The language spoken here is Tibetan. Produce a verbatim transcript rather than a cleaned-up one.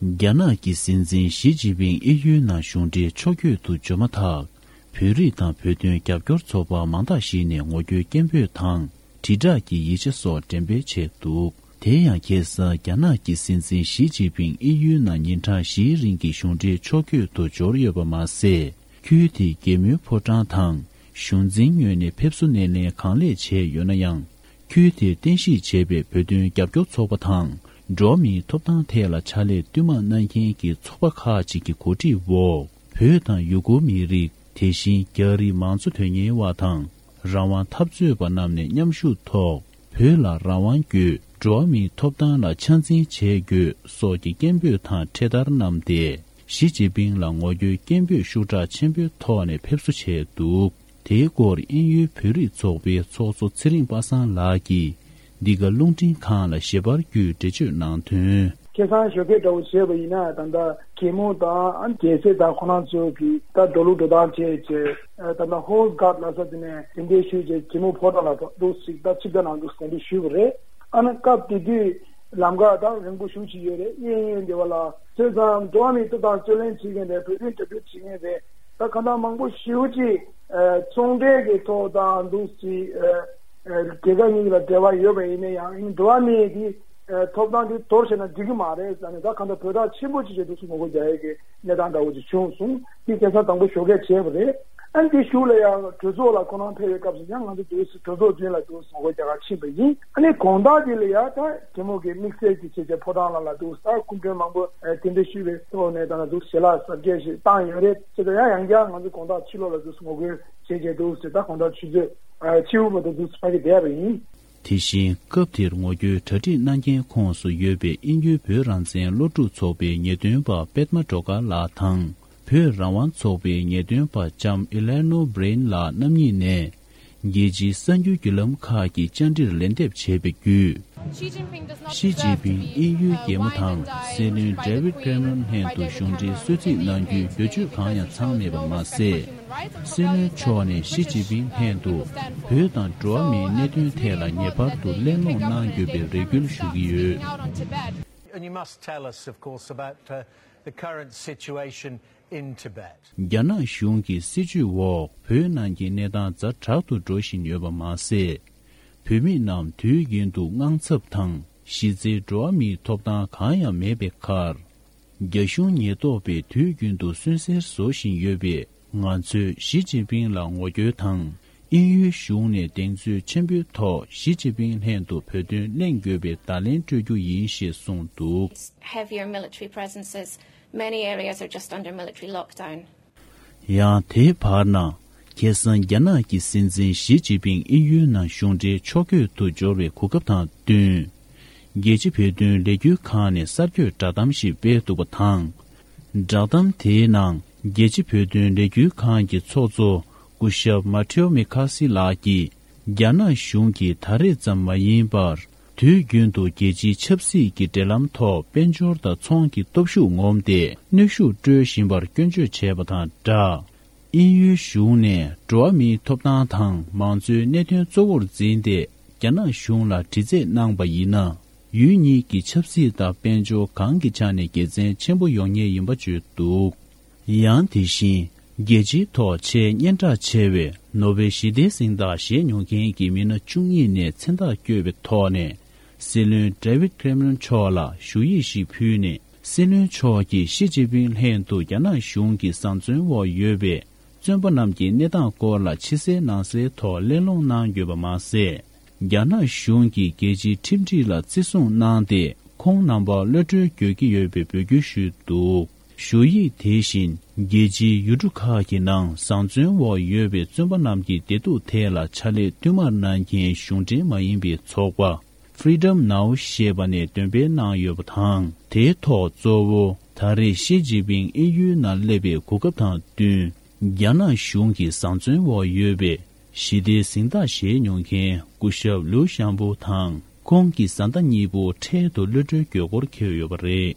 རྒྱ་ནག་གི་སྲིད་འཛིན་ཞི་ཅིན་ཕིང་དབྱིན་ཡུལ་ནང་གཞུང་འབྲེལ་ཕྱོགས་བསྐྱོད་དུ་འབྱོར་མ་ཐག་བོད་རིགས་དང་བོད་དོན་རྒྱབ་སྐྱོར་ཚོགས་པ་མང་དག་ཞིག་ནས་ངོ་རྒོལ་སྐད་འབོད་དང་། དྲིལ་བསྒྲགས་ཀྱི་ཡིག་ཆ་སོགས་འགྲེམས་སྤེལ་བྱས་འདུག་དེ་ཡང་ཁ་སང་རྒྱ་ནག་གི་སྲིད་འཛིན་ཞི་ཅིན་ཕིང་དབྱིན་ཡུལ་ནང་ཉིན་གྲངས་བཞིའི་རིང་གི་གཞུང་འབྲེལ་ཕྱོགས་བསྐྱོད་དུ་འབྱོར་ཡོད་པ་མ་ཟད། ཁུལ་དེའི་རྒྱལ་མོའི་ཕོ་བྲང་དང་གཞུང་འཛིན་ངོས་ནས་ཕེབས་བསུ་སྣེ་ལེན་གང་ལེགས་བྱས་ཡོད་ན་ཡང་། ཁུལ་དེར་རྟེན་གཞི་བྱས་པའི་བོད་དོན་རྒྱབ་སྐྱོར་ཚོགས་པ་དང་། འགྲོ་བ་མིའི་ཐོབ་ཐང་ཐད་ལ་ཕྱག་ལས་བསྟུད་མར་གནང་མཁན་གྱི་ཚོགས་པ་ཁག་ཅིག་གི་གོ་སྒྲིག་འོག་བོད་དང་ཡུ་གུར་མི་རིགས། དེ་བཞིན་རྒྱ་རིགས་མང་གཙོ་དོན་གཉེར་བ་དང་། རང་དབང་འཐབ་རྩོད་པ་རྣམས་ནས་མཉམ་ཞུགས་ཐོག་བོད་ལ་རང་དབང་དགོས། འགྲོ་བ་མིའི་ཐོབ་ཐང་ལ་ཆ་འཛིན་བྱེད་དགོས་སོགས་ཀྱི་སྐད་འབོད་དང་འཕྲེད་དར་བསྣམས་ཏེ། ཞི་ཅིན་ཕིང་ལ་ངོ་རྒོལ་སྐད་འབོད་ཤུགས་དྲག་ཆེན་པོའི་ཐོག་ནས་ཕེབས་བསུ་བྱས་འདུག་དེའི་སྐོར་དབྱིན་ཡུལ་བོད་རིགས་ཚོགས་པའི་ཚོགས་གཙོ་ཚེ་རིང་པ་སངས་ལགས་ཀྱིས། འདི་ག་རླུང་འཕྲིན་ཁང་ལ་ཞལ་པར་བརྒྱུད་འགྲེལ་བརྗོད་གནང་དོན། ཁ་སང་ཞོགས་ཀས་འདྲ་བོ་བྱས་པ་ཡིན་ན། ད་ལྟ་གད་མོ་དང་རྒྱལ་སྲས་དང་ཁོ་རང་ཚོ་གིས་ད་འགྲོ་ལུགས་འགྲོ་སྟངས་བྱས་བྱས། ད་ལྟ་ཧོར་སྒར་ལ་ས་དེ་ནས་གདན་འདྲེན་ཞུས་བྱས་གད་མོ་ཕོ་བྲང་ལ་འདུག་སེ་ད་ཆིབས་རྒྱ་ནང་འདུག་གདན་འདྲེན་ཞུས་པ་རེད། ཨ་ནི་སྐབས་དེ་དུས་ལམ་ཁ་ད་རིང་པོ་ཞེ་པོ་ཅིག་ཡོད་རེད། གཡས་གཡོན་དེ་བ་ལ་བྱས་ཙང་འགྲོ་བ་མིའི་ཐོབ་ཐང་རྩོད་ལེན་བྱེད་མཁན་རེད། བོད་དོན་རྒྱབ་སྐྱོར་བྱེད་མཁན་རེད། ད་གང་ལྟར་མང་པོ་ཞེ་པོ་ཅིག་ཚོང་འབྲེལ་གྱི་ཐོག་དང་འདུག་སེ། རྒྱལ་ཁབ་གཉིས་ལ་འབྲེལ་བ་ཡོད་པ་ཡིན་ན་ཡང་འགྲོ་བ་མིའི་གི་ཐོབ་ཐང་དེ་དོར་བྱས་ན་འགྲིག་གི་མ་རེད་ཟེར་ནས། ད་གང་ལྟར་བོད་ཐག་ཆེན་པོ་ཅིག་བྱས་འདུག་སེ་ངོ་རྒོལ་རྒྱག་ཡས་ཀྱི་གནས་སྟངས་འདྲ་བོ་ཅིག་བྱུང་སོང་། དེ་ཁ་སང་དང་པོ་ཞོགས་ཀས་བྱས་པ་རེད། ཨ་ནི་དེ་གཞུག་ལ་ཡང་གྲོས་ཚོགས་ལ་ཁོ་རང་ཕེབས་པའི་སྐབས་སུ་ཡང་ང་ཚོ་འདུག་སེ་གྲོས་ཚོགས་མདུན་ལ་འདུག་སེ་ངོ་རྒོལ་རྒྱག་གར་ཕྱིན་པ་ཡིན། ཨ་ནི་དགོང་དག་དེ་ལ་ཡང་ད་རྒྱལ་མོ་གི་དམིགས་བསལ་གྱི་བྱས་རྗེས་ཕོ་བྲང་ལ་ལ་འདུག་སེ་སྐུ་མགྲོན་མང་པོ་གདན་འདྲེན་ཞུས་པའི་ཐོག་ནས་ད་ལ་འདུག་སེ་ཞལ་ལག་གཟབ་རྒྱས་ཤིག་བཏང་ཡོད་རེད། བྱས་ཙང་ཡང་ཡང་བསྐྱར་ང་ཚོ་དགོང་དག་ཕྱི་ལོགས་ལ་འདུག་སེ་ངོ་རྒོལ་བྱས་རྗེས་འདུག་སེ་ད་དགོང་དག་ཆུ་ཚོད་ཕྱི་དབུགས་མ་ཐོན་འདུག་སེ་ཕ་གི་བསྡད་པ་ཡིན། དེ་བཞིན་སྐབས་དེར་ངོ་རྒོལ་གྲ་སྒྲིག་གནང་མཁན་ཁོངས་སུ་ཡོད་པའི་དབྱིན་ཡུལ་བོད་རང་བཙན་སློབ་ཕྲུག་ཚོགས་པའི་ངེས་སྟོན་པ་པདྨ་སྒྲོལ་དཀར་ལགས་དང་། བོད་རང་དབང་ཚོགས་པའི་ངེས་སྟོན་པ་ལྕམ་ཨི་ལེ་ནོ་བྷི་རེན་ལགས་རྣམ་གཉིས་ནས། རྒྱལ་སྤྱིའི་གསར་འགྱུར་བརྒྱུད་ལམ་ཁག་གི་བཅར་འདྲིར་ལན་འདེབས་བྱས་པའི་བརྒྱུད། ཞི་ཅིན་ཕིང་དབྱིན་ཡུལ་རྒྱལ་མོ་དང་སྲིད་བློན་ཌེ་ཝིད་ཀེ་མེ་རོན་ལྷན་དུ་གཞུང་འབྲེལ་གསོལ་ཚིགས་གནང་རྒྱུའི་འབོད་ཚིག་གང་ཡང་ཚང་མེད་པ་མ་ཟད། སྲིད་བློན་མཆོག་ནས་ཞི་ཅིན་ཕིང་ལྷན་དུ་བོད་དང་འགྲོ་བ་མིའི་གནད་དོན་ཐད་ལ་ངེས་པར་དུ་གླེང་སློང་གནང་དགོས་པའི་རེ་སྐུལ་ཞུ་གི་ཡོད། And you must tell us, of course, about uh, the current situation in Tibet. རྒྱ་ནག་གཞུང་གི་སྲིད་བྱུས་འོག་བོད་ནང་གི་གནས་སྟངས་ཛ་དྲག་ཏུ་འགྲོ་བཞིན་ཡོད་པ་མ་ཟད། བོད་མི་རྣམས་དུས་རྒྱུན་དུ་དངངས་འཚབ་དང་གཞི་རྩའི་འགྲོ་བ་མིའི་ཐོབ་ཐང་གང་ཡང་མེད་པའི་ཁར། རྒྱ་གཞུང་ཉེན་རྟོག་པས་དུས་རྒྱུན་དུ་སུན་གཙེར་བཟོ་བཞིན་ཡོད་པས། ང་ཚོས་ཞི་ཅིན་ཕིང་ལ་ངོ་རྒོལ་དང་། དབྱིན་ཡུལ་གཞུང་ནས་གདེང་ཚོད་ཆེན་པོའི་ཐོག་ཞི་ཅིན་ཕིང་ལྷན་དུ་བོད་དོན་གླེང་དགོས་པའི་བརྡ་ལན་སྤྲོད་རྒྱུ་ཡིན་ཞེས་གསུངས་འདུག Heavier military presence as many areas are just under military lockdown. ཡང་དེའི་བར་ན། ཁ་སང་རྒྱ་ནག་གི་སྲིད་འཛིན་ཞི་ཅིན་ཕིང་དབྱིན་ཡུལ་ནང་གཞུང་འབྲེལ་ཕྱོགས་བསྐྱོད་དུ་འབྱོར་བའི་གོ་སྐབས་དང་བསྟུན། རྒྱལ་སྤྱི་བོད་དོན་ལས་འགུལ་ཁང་ནས་གསར་འགོད་བསྒྲགས་གཏམ་ཞིག་སྤེལ་འདུག་པ་དང་། བསྒྲགས་གཏམ་དེའི་ནང་རྒྱལ་སྤྱི་བོད་དོན་ལས་འགུལ་ཁང་གི་ཚོགས་གཙོ་སྐུ་ཞབས་མ་ཐེའོ་མི་ཁ་སི་ལགས་ཀྱིས། རྒྱ་ནག་གཞུང་གིས་ད་རེས་ཙམ་མ་ཡིན་པར། དུས་རྒྱུན་དུ་རྒྱལ་སྤྱིའི་ཆབ་སྲིད་ཀྱི་འབྲེལ་ལམ་ཐོག་དཔལ་འབྱོར་དང་ཚོང་གི་སྟོབས་ཤུགས་ངོམས་ཏེ་གནོན་ཤུགས་སྤྲོད་བཞིན་པར་སྐྱོན་བརྗོད་བྱས་པ་དང་སྦྲགས། དབྱིན་ཡུལ་གཞུང་ནས་འགྲོ་བ་མིའི་ཐོབ་ཐང་དང་མང་གཙོའི་གནད་དོན་གཙོ་བོར་འཛིན་ཏེ། རྒྱ་ནག་གཞུང་ལ་དྲི་རྩད་གནང་པ་ཡིན་ན། ཡུལ་གཉིས་ཀྱི་ཆབ་སྲིད་དང་དཔལ་འབྱོར་གང་གི་ཆ་ནས་དགེ་མཚན་ཆེན་པོ་ཡོང་ངེས་ཡིན་པ་བརྗོད་འདུག་ཡང་དེ་བཞིན། རྒྱལ་སྤྱིའི་ཐོག་ཆེས་སྙན་གྲགས་ཆེ་བའི་ནོ་བེལ་ཞི་བདེའི་གཟེངས་རྟགས་བཞེས་མྱོང་མཁན་གྱི་མི་སྣ་བཅུ་གཉིས་ནས་མཚན་རྟགས་བསྐྱོན་པའི་ཐོག་ནས། སྲིད་བློན་ཌེ་ཝིད་ཁེ་མེ་རོན་མཆོག་ལ་ཞུ་ཡིག་ཞིག་ཕུལ་ནས། སྲིད་བློན་མཆོག་གིས་ཞི་ཅིན་ཕིང་ལྷན་དུ་རྒྱ་ནག་གཞུང་གི་བཟང་བཙོན་འོག་ཡོད་པའི་བཙོན་པ་རྣམས་ཀྱི་གནས་སྟངས་སྐོར་ལ་ཕྱི་གསལ་ནང་གསལ་ཐོག་གླེང་སློང་གནང་དགོས་པ་མ་ཟད། རྒྱ་ནག་གཞུང་གིས་རྒྱལ་སྤྱིའི་ཁྲིམས་སྒྲིག་ལ་བརྩི་སྲུང་གནང་སྟེ། ཁོང་རྣམ་པར་གློད་གྲོལ་དགོས་ཀྱི་ཡོད་པའི་འབོད་སྐུལ་ཞུས་འདུག་ཞུ་ཡིག་དེ་བཞིན། རྒྱལ་སྤྱིའི་ཡུལ་གྲུ་ཁག་གི་ནང་བཟང་བཙོན་འོག་ཡོད་པའི་བཙོན་པ་རྣམས་ཀྱི་བདེ་སྡུག་ཐད་ལ་ཕྱག་ལས་བསྟུད་མར་གནང་མཁན་གཞུང་འབྲེལ་མ་ཡིན་པའི་ཚོགས་པ། Freedom Now ཞེས་པ་ནས་འདོན་སྤེལ་གནང་ཡོད་པ་དང་། དེའི་ཐོག་གཙོ་བོ་ད་རེས་ཞི་ཅིན་ཕིང་དབྱིན་ཡུལ་ནང་སླེབས་པའི་གོ་སྐབས་དང་བསྟུན། རྒྱ་ནག་གཞུང་གི་བཟང་བཙོན་འོག་ཡོད་པའི་ཞི་བདེའི་གཟེངས་རྟགས་བཞེས་མྱོང་མཁན་སྐུ་ཞབས་ལིའུ་ཞང་པོ་དང་། ཁོང་གི་བཟའ་ཟླ་གཉིས་པོ་འཕྲལ་དུ་གློད་གྲོལ་དགོས་སྐོར་འཁོད་ཡོད་པ་རེད།